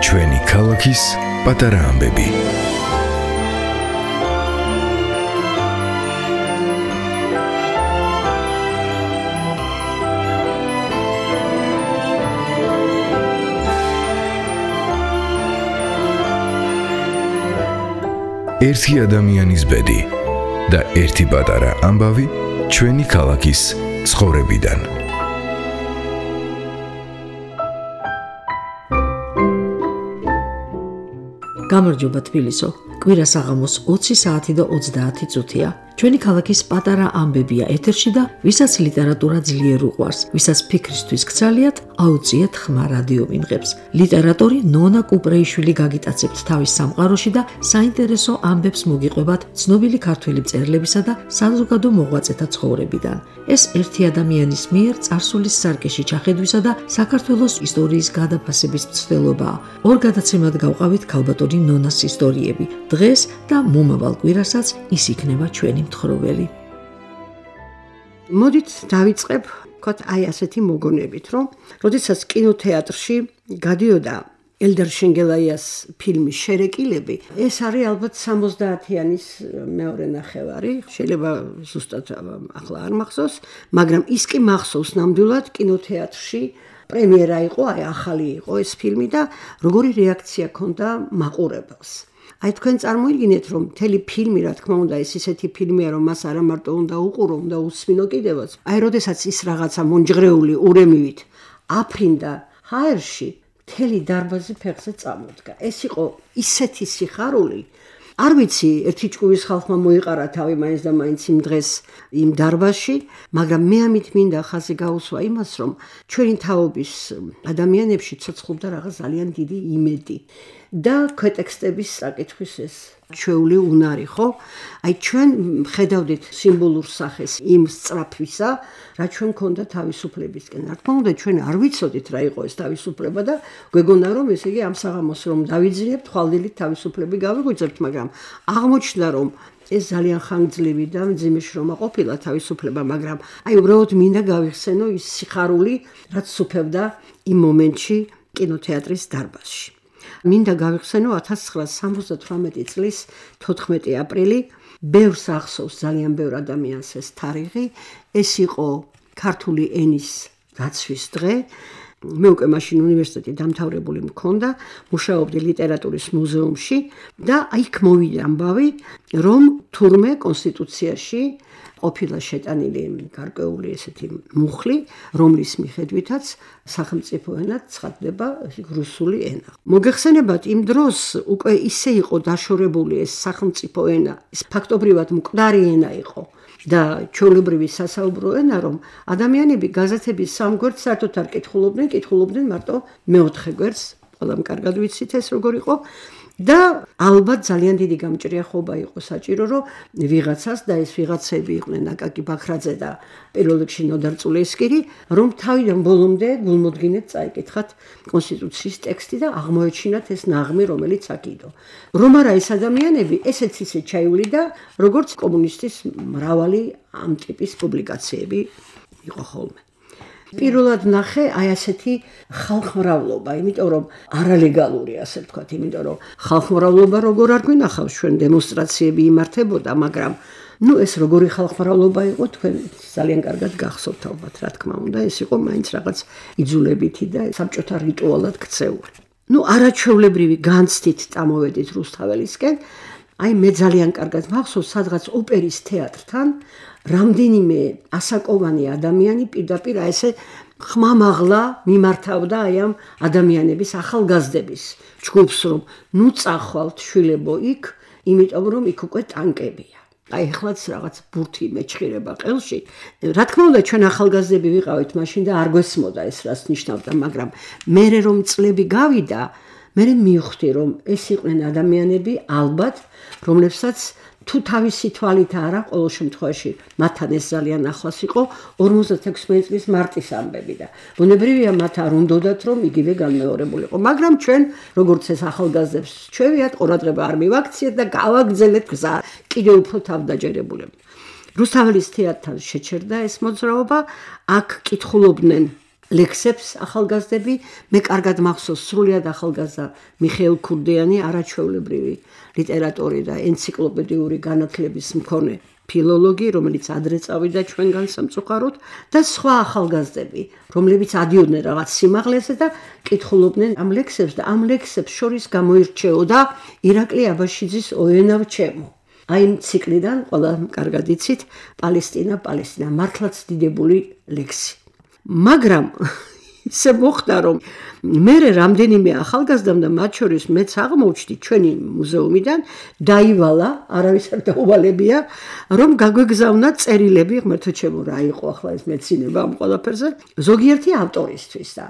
ჩვენი ქალაქის პატარა ამბები. ერთი ადამიანის ბედი და ერთი პატარა ამბავი ჩვენი ქალაქის ცხოვრებიდან. გამარჯობა თბილისო, კვირა საღამოს 20 საათი და 30 წუთია. ჩვენი ქალაქის პატარა ამბებია ეთერში და ვისაც ლიტერატურა ძლიერ უყვარს, ვისაც ფიქრისთვის გცალიათ, აუწიეთ ხმა რადიო ვინღებს. ლიტერატორი ნონა კუპრეიშვილი გაგიტაცებთ თავის სამყაროში და საინტერესო ამბებს მოგიყვებათ ცნობილი ქართველი მწერლებისა და საზოგადო მოღვაწეთა ცხოვრებიდან. ეს ერთი ადამიანის მიერ წარსულის სარკეში ჩახედვისა და საქართველოს ისტორიის გადაფასების მცდელობაა. ორ გადაცემად გავყავით ქალბატონი ნონას ისტორიები. დღეს და მომავალ კვირასაც ის იქნება ჩვენი მთხრობელი. მოდით დავიწყებ ვთქვათ აი ასეთი მოგონებით, რომ როდესაც კინოთეატრში გადიოდა ელდარ შენგელაიას ფილმი შერეკილები, ეს არის ალბათ 70-იანის მეორე ნახევარი, შეიძლება ზუსტად ახლა არ მახსოვს, მაგრამ ის კი მახსოვს ნამდვილად კინოთეატრში პრემიერა იყო, აი ახალი იყო ეს ფილმი და როგორი რეაქცია ჰქონდა მაყურებელს. აი თქვენ წარმოიდგინეთ, რომ მთელი ფილმი, რა თქმა უნდა, ეს ისეთი ფილმია, რომ მას არა მარტო უნდა უყურო, უნდა უსმინო კიდევაც. აი, როდესაც ის რაღაცა მონჯღრეული ურემივით აფრინდა ჰაერში, მთელი დარბაზი ფეხზე წამოდგა. ეს იყო ისეთი სიხარული. არ ვიცი, ერთი ჭკუის ხალხმა მოიყარა თავი მაინც და მაინც იმ დღეს იმ დარბაზში, მაგრამ მე ამით მინდა ხაზი გაუსვა იმას, რომ ჩვენი თაობის ადამიანებში ცოცხლობდა რაღაც ძალიან დიდი იმედი. და ქვეტექსტების საკითხვის ეს ჩვეული უნარი, ხო? აი ჩვენ ხედავდით სიმბოლურ სახეს იმ სწრაფვისა, რა ჩვენ ქონდა თავისუფლებისკენ. რა თქმა უნდა, ჩვენ არ ვიცოდით რა იყო ეს თავისუფლება და გვეგონა რომ ესე იგი ამ საღამოს რომ დავიძლიებთ, ხვალდილით თავისუფლები გავიგვიძებთ, მაგრამ აღმოჩნდა რომ ეს ძალიან ხანგრძლივი და მძიმე შრომა ყოფილა თავისუფლება, მაგრამ აი უბრალოდ მინდა გავიხსენო ის სიხარული, რაც სუფევდა იმ მომენტში კინოთეატრის დარბაზში. მინდა გავიხსენო 1978 წლის 14 აპრილი, ბევრს ახსოვს ძალიან ბევრ ადამიანს ეს თარიღი, ეს იყო ქართული ენის დაცვის დღე. მე უკვე მაშინ უნივერსიტეტი დამთავრებული მქონდა, მუშაობდი ლიტერატურის მუზეუმში და იქ მოვიდა ამბავი, რომ თურმე კონსტიტუციაში ყოფილა შეტანილი გარკვეული ესეთი მუხლი, რომლის მიხედვითაც სახელმწიფო ენად ცხადდება რუსული ენა. მოგეხსენებათ, იმ დროს უკვე ისე იყო დაშორებული ეს სახელმწიფო ენა, ეს ფაქტობრივად მკვდარი ენა იყო და ჩვეულებრივი სასაუბრო ენა, რომ ადამიანები გაზეთების სამ გვერდს საერთოდ არ კითხულობდნენ მარტო მეოთხე გვერდს, ყველამ კარგად ვიცით ეს როგორ იყო. და ალბათ ძალიან დიდი გამჭრიახობა იყო საჭირო, რომ ვიღაცას და ეს ვიღაცები იყვნენ აკაკი ბაქრაძე და პირველ რიგში ნოდარ წულესკირი, რომ თავიდან ბოლომდე გულმოდგინედ წაიკითხათ კონსტიტუციის ტექსტი და აღმოეჩინათ ეს ნაღმი, რომელიც აქ იყო. რომ არა ეს ადამიანები, ესეც ისე ჩაივლიდა, როგორც კომუნისტის მრავალი ამ ტიპის პუბლიკაციები იყო ხოლმე. პირველად ნახე აი ასეთი ხალხმრავლობა, იმიტომ რომ არალეგალური, ასე ვთქვათ, იმიტომ რომ ხალხმრავლობა როგორ არ გვინახავს, ჩვენ დემონსტრაციები იმართებოდა, მაგრამ ეს როგორი ხალხმრავლობა იყო, თქვენ ძალიან კარგად გახსოვთ ალბათ, რა თქმა უნდა, ეს იყო მაინც რაღაც იძულებითი და საბჭოთა რიტუალად ქცეული. არაჩვეულებრივი განცდით წამოვედით რუსთაველისკენ, აი მე ძალიან კარგად მახსოვს, სადღაც ოპერის თეატრთან რამდენიმე ასაკოვანი ადამიანი პირდაპირ ესე ხმამაღლა მიმართავდა აი ამ ადამიანების ახალგაზრდების ჯგუფს, რომ წახვალთ შვილებო იქ, იმიტომ რომ იქ უკვე ტანკებია. აი ეხლაც რაღაც ბურთი მეჩხირება ყელში. რა თქმა უნდა, ჩვენ ახალგაზრდები ვიყავით მაშინ და არ გვესმოდა ეს რას ნიშნავდა, მაგრამ მერე რომ წლები გავიდა, მე მივხვდი, რომ ეს იყვნენ ადამიანები ალბათ, რომლებსაც თუ თავისი თვალით არა, ყოველ შემთხვევაში მათთან ეს ძალიან ახლოს იყო 56 წლის მარტის ამბები და ბუნებრივია მათ არ უნდათ რომ იგივე განმეორებულიყო, მაგრამ ჩვენ როგორც ეს ახალგაზრდებს ჩვევიათ ყურადღება არ მივაქციეთ და გავაგრძელეთ გზა კიდევ უფრო თავდაჯერებულები. რუსთაველის თეატრთან შეჩერდა ეს მოძრაობა, აქ კითხულობდნენ ლექსებს ახალგაზრდები, მე კარგად მახსოვს სრულიად ახალგაზრდა მიხეილ ქურდიანი არაჩვეულებრივი ლიტერატორი და ენციკლოპედიური განათლების მქონე ფილოლოგი, რომელიც ადრე წავიდა ჩვენგან სამწუხაროდ და სხვა ახალგაზრდები, რომლებიც ადიოდნენ რაღაც სიმაღლეზე და კითხულობდნენ ამ ლექსებს და ამ ლექსებს შორის გამოირჩეოდა ირაკლი აბაშიძის ოენავ ჩემო. აი იმ ციკლიდან ყველა კარგად იცით პალესტინა, მართლაც დიდებული ლექსი. მაგრამ ისე მოხდა რომ მე რამდენიმე ახალგაზრდამ და მათ შორის მეც აღმოჩნდი ჩვენი მუზეუმიდან დაივალა, არავის არ დაუვალებია, რომ გაგვეგზავნა წერილები, ღმერთო ჩემო რა იყო ახლა ეს მეცინება ამ ყველაფერზე, ზოგიერთი ავტორისთვის და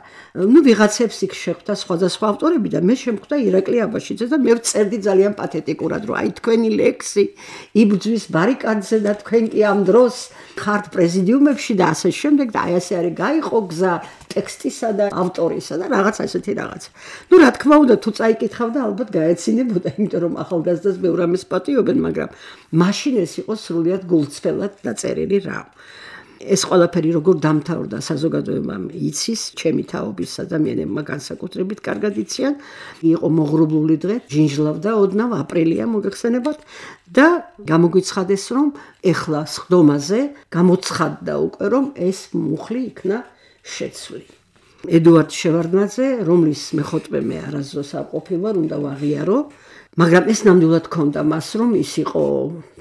ვიღაცებს იქ შეხვდა სხვადასხვა ავტორები და მე შემხვდა ირაკლი აბაშიძე და მე ვწერდი ძალიან პათეტიკურად, რომ აი თქვენი ლექსი იბრძვის ბარიკადზე და თქვენ კი ამ დროს ხართ პრეზიდიუმებში და ასე შემდეგ და აი ასე არის გაიყო გზა ტექსტისა და ავტორისა და რაღაც ასეთი რაღაც. ნუ რა თქმა უნდა თუ წაიკითხავდა ალბათ გაეცინებოდა, იმიტომ რომ ახალგაზრდას ბევრ ამას პატიობენ, მაგრამ მაშინ ეს იყო სრულიად გულწრფელად დაწერილი რამ. ეს ყველაფერი როგორ დამთავრდა საზოგადოებამ იცის, ჩემი თაობის ადამიანებმა განსაკუთრებით კარგად იციან. იყო მოღრუბლული დღე, ჯინჯლავდა ოდნავ აპრილია მოგეხსენებათ და გამოგვიცხადეს რომ ეხლა სხდომაზე გამოცხადდა უკვე რომ ეს მუხლი იქნა შეცვლილი. ედუარდ შევარდნაძე, რომლის მეხოტბე მე არასდროს არ ყოფილვარ, უნდა ვაღიარო, მაგრამ ეს ნამდვილად ჰქონდა მას, რომ ის იყო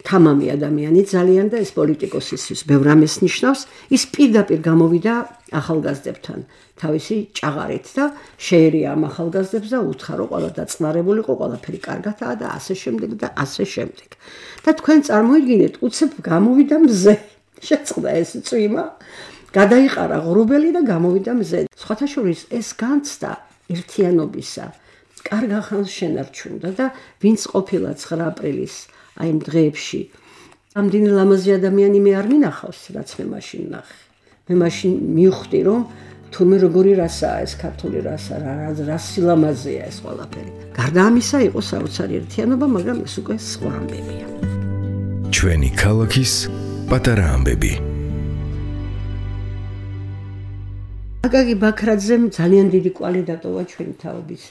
თამამი ადამიანი ძალიან და ეს პოლიტიკოსისთვის ბევრ ამას ნიშნავს, ის პირდაპირ გამოვიდა ახალგაზრდებთან თავისი ჭაღარით და შეერია ამ ახალგაზრდებს და უთხრა რომ ყველა დაწნარებულიყო, ყველაფერი კარგადაა და ასე შემდეგ და ასე შემდეგ. და თქვენ წარმოიდგინეთ, უცებ გამოვიდა მზე, შეწყდა ეს წვიმა, გადაიყარა ღრუბელი და გამოვიდა მზე. სხვათა შორის ეს განცდა ერთიანობისა კარგ ახალს შენარჩუნდა და ვინც ყოფილა 9 აპრილის აი იმ დღეებში ამდენი ლამაზი ადამიანი მე არ მინახავს, რაც მე მაშინ ნახე. მე მაშინ მივხვდი რომ თურმე როგორი რასაა ეს ქართული რასა, რა სილამაზეა ეს ყველაფერი. გარდა ამისა იყო საოცარი ერთიანობა, მაგრამ ეს უკვე სხვა ამბებია. ჩვენი ქალაქის პატარა ამბები. აკაკი ბაქრაძემ ძალიან დიდი კვალი დატოვა ჩვენი თაობის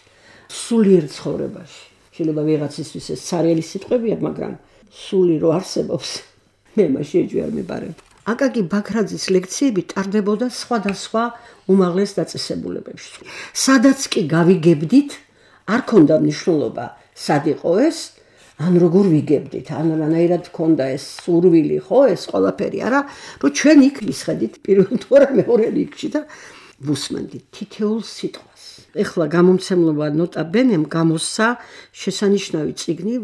სულიერ ცხოვრებაში. შეიძლება ვიღაცისთვის ეს ცარიელი სიტყვებია, მაგრამ სული რო არსებობს, მე მაშინ ეჭვი არ მიბარებ. აკაკი ბაქრაძის ლექციები ტარდებოდა სხვადასხვა უმაღლეს დაწესებულებებში. სადაც კი გავიგებდით, არ ქონდა მნიშვნელობა, სად იყო ეს, ან როგორ ვიგებდით, ან რანაირად ქონდა ეს სურვილი, ხო, ეს ყველაფერი არა, რომ ჩვენ იქ ვისხედით პირველ თუ არა მეორე რიგში და ვუსმენდით თითოეულ სიტყვას. ეხლა გამომცემლობა ნოტა ბენემ გამოსცა შესანიშნავი წიგნი,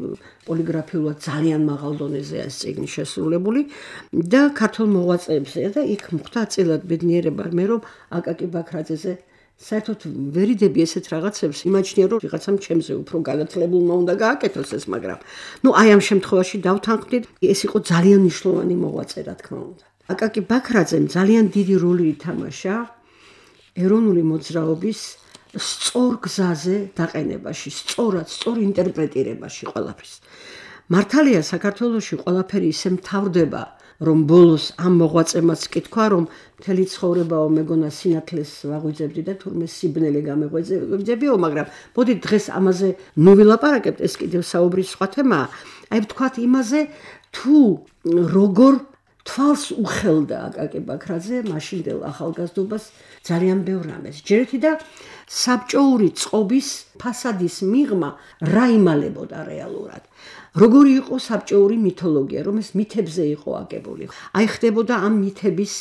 პოლიგრაფიულად ძალიან მაღალ დონეზეა ეს წიგნი შესრულებული და ქართულ მოღვაწეებზეა და იქ მოხდა აწილად ბედნიერება მე რომ აკაკი ბაქრაძეზე საერთოდ ვერიდები ესეთ რაღაცებს, იმაჩნია რომ ვიღაცამ ჩემზე უფრო განათლებულმა უნდა გააკეთოს ეს, მაგრამ ნუ აი ამ შემთხვევაში დავთანხმდით, ეს იყო ძალიან მნიშვნელოვანი მოღვაწე, რა თქმა უნდა. აკაკი ბაქრაძემ ძალიან დიდი როლი ითამაშა ეროვნული მოძრაობის სწორ გზაზე დაყენებაში, სწორად, სწორ ინტერპრეტირებაში ყველაფრის. მართალია საქართველოში ყველაფერი ისე მთავრდება, რომ ბოლოს ამ მოღვაწემაც კი თქვა, რომ მთელი ცხოვრებაო მეგონა სინათლეს ვაღვიძებდი და თურმე სიბნელე გამეღვიძებიო, მაგრამ მოდი დღეს ამაზე ნუ ვილაპარაკებთ, ეს კიდევ საუბრის სხვა თემაა. აი ვთქვათ იმაზე, თუ როგორ თვალს უხელდა აკაკი ბაქრაძე მაშინდელ ახალგაზრდობას ძალიან ბევრ რამეს. ჯერეთი და საბჭოური წყობის ფასადის მიღმა რა იმალებოდა რეალურად. როგორი იყო საბჭოური მითოლოგია, რომ ეს მითებზე იყო აგებული. აი ხდებოდა ამ მითების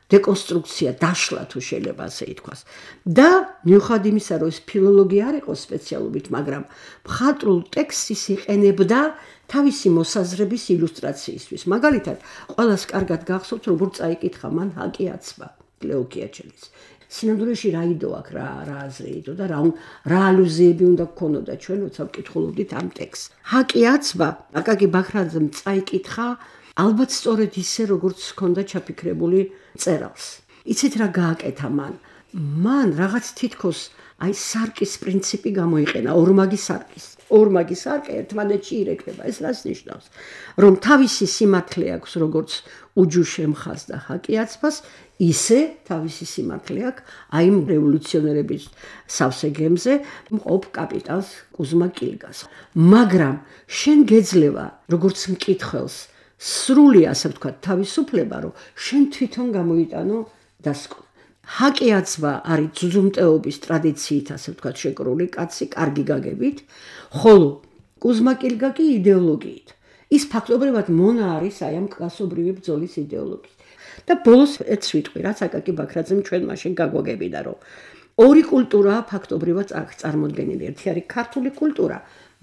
დეკონსტრუქცია, დაშლა თუ შეიძლება ასე ითქვას. და მიუხედავად იმისა, რომ ეს ფილოლოგია არ იყო სპეციალობით, მაგრამ მხატვრულ ტექსტს იყენებდა თავისი მოსაზრების ილუსტრაციისთვის. მაგალითად, ყველას კარგად გახსოვთ, როგორ წაიკითხა მან ჰაკი აცბა ლეო კიაჩელის. სინამდვილეში რა იდო აქვს, რა აზრი იდო და რა ალუზიები უნდა გქონოდა ჩვენ, როცა ვკითხულობდით ამ ტექსტს. ჰაკი აცბა, აკაკი ბაქრაძემ წაიკითხა, ალბათ სწორედ ისე, როგორც ჰქონდა ჩაფიქრებული წერალს. იცით რა გააკეთა მან? მან რაღაც თითქოს აი სარკის პრინციპი გამოიყენა, ორმაგი სარკე ერთმანეთში ირეკლება. ეს რას ნიშნავს? რომ თავისი სიმართლე აქვს, როგორც უჯუშემხას და ჰაკიაცბას, ისე თავისი სიმართლე აქვს აი რევოლუციონერების სავსე გემზე მყოფ კაპიტანს კუზმა კილგას. მაგრამ შენ გეძლევა, როგორც მკითხველს, სრული, ასე ვთქვათ, თავისუფლება, რომ შენ თვითონ გამოიტანო დასკვნა. ჰაკიაცბა არის ძუძუმტეობის ტრადიციით, ასე ვთქვათ, შეკრული კაცი, კარგი გაგებით, ხოლო კუზმა კილგა კი იდეოლოგიით. ის ფაქტობრივად მონა არის აი ამ კლასობრივი ბრძოლის იდეოლოგიით. და ბოლოს ეს ვიტყვი, რაც აკაკი ბაქრაძემ ჩვენ მაშინ გაგვაგებინა, რომ ორი კულტურაა ფაქტობრივად წარმოდგენილი. ერთი არის ქართული კულტურა,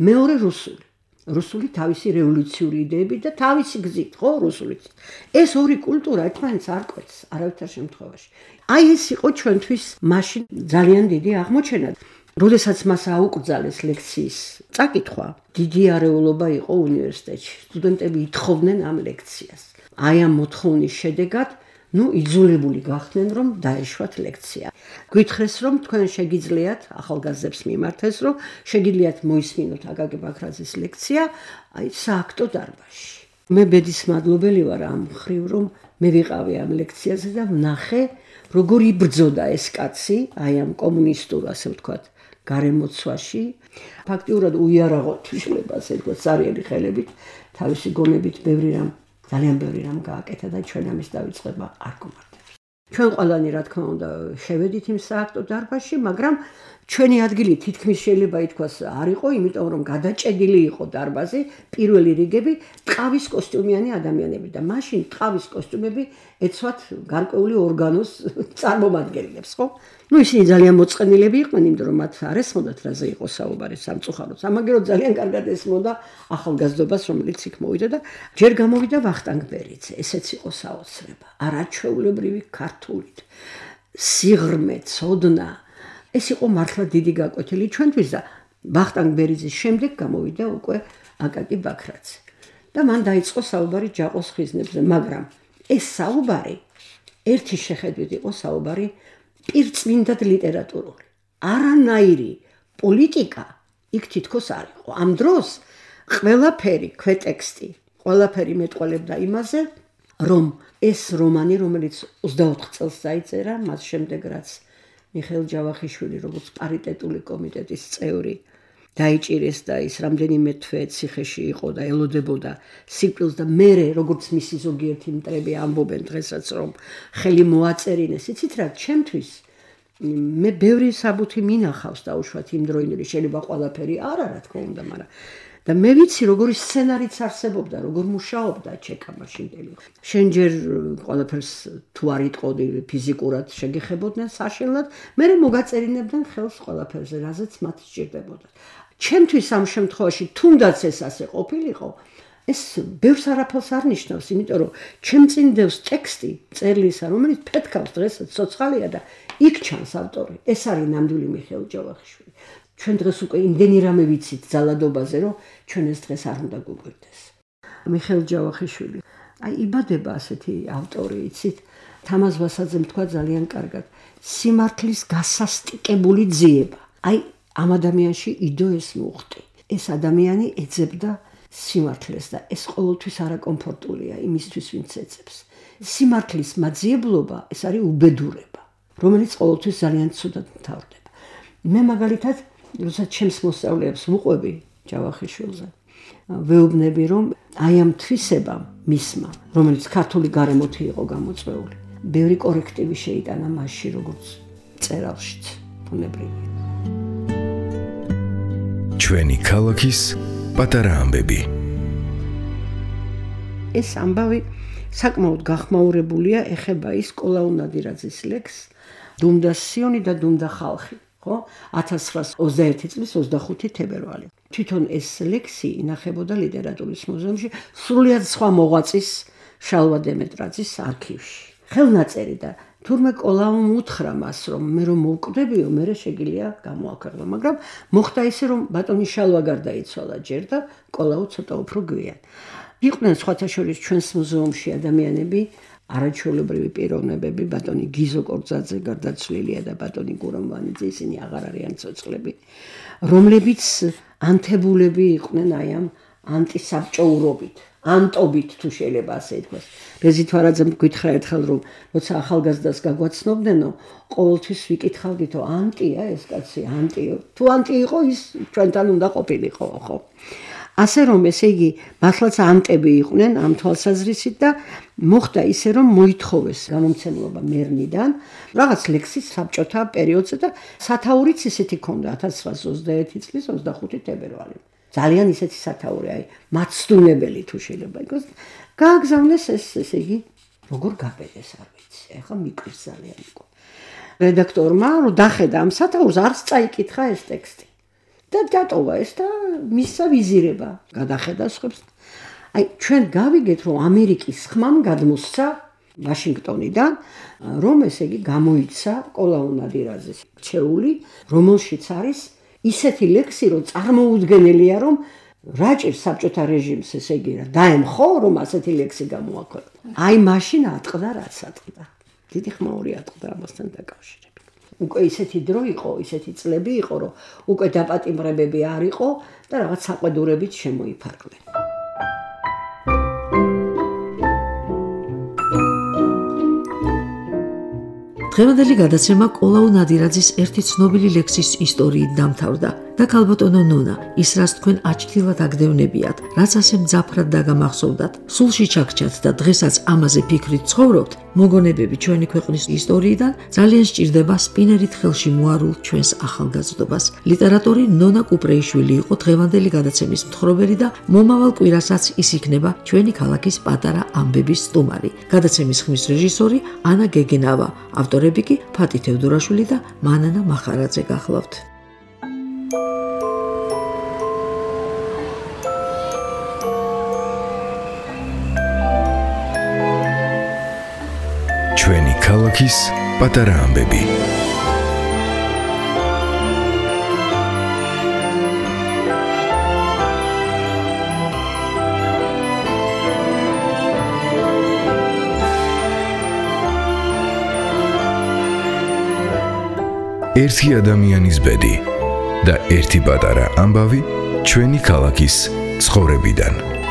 მეორე რუსული. რუსული თავისი რევოლუციური იდეებით და თავისი გზით, ხო, რუსულით. ეს ორი კულტურა ერთმანეთს არ კვეთს არავითარ შემთხვევაში. აი ეს იყო ჩვენთვის მაშინ ძალიან დიდი აღმოჩენა. როდესაც მას აუკრძალეს ლექციის წაკითხვა, დიდი არეულობა იყო უნივერსიტეტში. სტუდენტები ითხოვდნენ ამ ლექციას. აი ამ მოთხოვნის შედეგად იძულებული გახდნენ, რომ დაეშვათ ლექცია. გვითხრეს, რომ თქვენ შეგიძლიათ ახალგაზრდებს მიმართეს, რომ შეგიძლიათ მოისმინოთ აკაკი ბაქრაძის ლექცია აი სააქტო დარბაზში. მე ბედის მადლობელი ვარ ამ მხრივ, რომ მე ვიყავი ამ ლექციაზე და ვნახე, როგორ იბრძოდა ეს კაცი, აი ამ კომუნისტურ, ასე ვთქვათ, გარემოცვაში. ფაქტიურად უიარაღო თვისებას, ეთქვათ, სარიელი ხელებით, თავისი გონებით ძალიან ბევრი რამ გააკეთა და ჩვენ ამის დავიწყება არ გვმართებს. ჩვენ ყველანი, რა თქმა უნდა, შევედით იმ სააქტო დარბაზში, მაგრამ ჩვენი ადგილი თითქმის შეიძლება ითქვას არ იყო, იმიტომ რომ გადაჭედილი იყო დარბაზი, პირველი რიგები ტყავის კოსტიუმიანი ადამიანები და მაშინ ტყავის კოსტიუმები ეცვათ გარკვეული ორგანოს წარმომადგენლებს, ხო? ისინი ძალიან მოწყენილები იყვნენ, იმიტომ რომ მათ არ ესმოდათ რაზე იყო საუბარი სამწუხაროდ. სამაგერო ძალიან კარგად ესმოდა ახალგაზრდობას, რომელიც იქ მოვიდა და ჯერ გამოვიდა ვახტანგ ბერიძე. ესეც იყო საოცრება. არაჩვეულებრივი ქართულით, სიღრმე, ცოდნა. ეს იყო მართლა დიდი გაკვეთილი ჩვენთვის და ვახტანგ ბერიძის შემდეგ გამოვიდა უკვე აკაკი ბაქრაძე. და მან დაიწყო საუბარი ჯაყოს ხიზნებზე, მაგრამ ეს საუბარი ერთი შეხედვით იყო საუბარი პირწმინდად ლიტერატურული. არანაირი პოლიტიკა იქ თითქოს არ იყო. ამ დროს ყველაფერი, ქვეტექსტი, ყველაფერი მეტყველებდა იმაზე, რომ ეს რომანი, რომელიც 24 წელს დაიწერა, მას შემდეგ რაც მიხეილ ჯავახიშვილი, როგორც პარიტეტული კომიტეტის წევრი, დაიჭირეს და ის რამდენიმე თვე ციხეში იყო და ელოდებოდა სიკვდილს და მერე, როგორც მისი ზოგიერთი მტრები ამბობენ დღესაც, რომ ხელი მოაწერინეს. იცით რა, ჩემთვის მე ბევრი საბუთი მინახავს დაუშვათ იმდროინდელი, შეიძლება ყველაფერი არა, რა თქმა უნდა, მაგრამ და მე ვიცი, როგორი სცენარიც არსებობდა, როგორ მუშაობდა ჩეკა მაშინდელი. შენ ჯერ ყველაფერს თუ არ იტყოდი ფიზიკურად შეგეხებოდნენ საშინლად, მერე მოგაწერინებდნენ ხელს ყველაფერზე, რაზეც მათ სჭირდებოდა. ჩემთვის ამ შემთხვევაში თუნდაც ეს ასე ყოფილიყო, ეს ბევრს არაფერს არ ნიშნავს, იმიტომ რომ ჩემ წინ დევს ტექსტი წერლისა, რომელიც ფეთქავს დღესაც ცოცხალია და იქ ჩანს ავტორი. ეს არის ნამდვილი მიხეილ ჯავახიშვილი. ჩვენ დღეს უკვე იმდენი რამე ვიცით ძალადობაზე, რომ ჩვენ ეს დღეს არ უნდა გვიგვირდეს. მიხეილ ჯავახიშვილი, აი იბადება ასეთი ავტორი, იცით, თამაზ ვასაძემ თქვა ძალიან კარგად, სიმართლის გასასტიკებული ძიება. აი ამ ადამიანში იდო ეს მუხტი. ეს ადამიანი ეძებდა სიმართლეს და ეს ყოველთვის არაკომფორტულია იმისთვის, ვინც ეძებს. სიმართლის მაძიებლობა ეს არის უბედურება, რომელიც ყოველთვის ძალიან ცუდად მთავრდება. მე მაგალითად როცა ჩემს მოსწავლეებს ვუყვები ჯავახიშვილზე, ვეუბნები, რომ აი ამ თვისებამ მისმა, რომელიც ქართული გარემოთი იყო გამოწვეული, ბევრი კორექტივი შეიტანა მასში, როგორც წერალშიც, ბუნებრივია. ჩვენი ქალაქის პატარა ამბები. ეს ამბავი საკმაოდ გახმაურებულია, ეხება ის კოლაუ ნადირაძის ლექსს დუმდა სიონი და დუმდა ხალხი. 1921 წლის 25 თებერვალი. თვითონ ეს ლექსი ინახებოდა ლიტერატურის მუზეუმში, სრულიად სხვა მოღვაწის შალვა დემეტრაძის არქივში. ხელნაწერი და თურმე კოლაუმ უთხრა მას, რომ მე რომ მოვკვდებიო, მე შეგიძლია გამოაქვეყნო, მაგრამ მოხდა ისე, რომ ბატონი შალვა გარდაიცვალა ჯერ და კოლაუ ცოტა უფრო გვიან. იყვნენ სხვათა შორის ჩვენს მუზეუმში ადამიანები, არაჩვეულებრივი პიროვნებები, ბატონი გიზო კორძაძე გარდაცვლილია და ბატონი გურამვანიძე, ისინი აღარ არიან ცოცხლები, რომლებიც ანთებულები იყვნენ აი ამ ანტისაბჭოურობით, ანტობით თუ შეიძლება ასე ითქვას. რეზი თვარაძემ გითხრა ერთხელ, რომ როცა ახალგაზრდას გაგვაცნობდნენო, ყოველთვის ვიკითხავდითო, ანტია ეს კაცი, ანტიო. თუ ანტი იყო, ის ჩვენთან უნდა ყოფილიყო, ხო? ასე რომ ესე იგი მართლაც ანტები იყვნენ ამ თვალსაზრისით და მოხდა ისე რომ მოითხოვეს გამომცემლობა მერნიდან რაღაც ლექსის საბჭოთა პერიოდზე და სათაურიც ისეთი ქონდა 1921 წლის 25 თებერვალი. ძალიან ისეთი სათაური, აი მაცდუნებელი თუ შეიძლება იყოს. გააგზავნეს ესე იგი როგორ გაბედეს არ ვიცი. ეხლა მიკვირს ძალიან იყო. რედაქტორმა რომ დახედა ამ სათაურს არც წაიკითხა ეს ტექსტი. და დატოვა ეს და მისცა ვიზირება, გადახედა სხვებს. აი ჩვენ გავიგეთ რომ ამერიკის ხმამ გადმოსცა ვაშინგტონიდან, რომ ესე იგი გამოიცა კოლაუ ნადირაძის რჩეული, რომელშიც არის ისეთი ლექსი, რომ წარმოუდგენელია, რომ რაჭირ საბჭოთა რეჟიმს ესე იგი დაემხო, რომ ასეთი ლექსი გამოაქვეყნა. აი მაშინ ატყდა რაც ატყდა. დიდი ხმაური ატყდა ამასთან დაკავშირებით. უკვე ისეთი დრო იყო, ისეთი წლები იყო, რომ უკვე დაპატიმრებები არ იყო და რაღაც საყვედურებით შემოიფარგლენ. დღევანდელი გადაცემა კოლაუ ნადირაძის ერთი ცნობილი ლექსის ისტორიით დამთავრდა და ქალბატონო ნონა, ის რაც თქვენ აჩქილად აგდევნებიათ, რაც ასე მძაფრად დაგამახსოვდათ, სულში ჩაგჩათ და დღესაც ამაზე ფიქრით ცხოვრობთ, მოგონებები ჩვენი ქვეყნის ისტორიიდან ძალიან სჭირდება სპინერით ხელში მოარულთ ჩვენს ახალგაზრდობას. ლიტერატორი ნონა კუპრეიშვილი იყო დღევანდელი გადაცემის მთხრობელი და მომავალ კვირასაც ის იქნება ჩვენი ქალაქის პატარა ამბების სტუმარი. გადაცემის ხმის რეჟისორი ანა გეგენავა, ავტორები კი ფატი თევდორაშვილი და მანანა მახარაძე გახლავთ. ჩვენი ქალაქის პატარა ამბები. ერთი ადამიანის ბედი და ერთი პატარა ამბავი ჩვენი ქალაქის ცხოვრებიდან.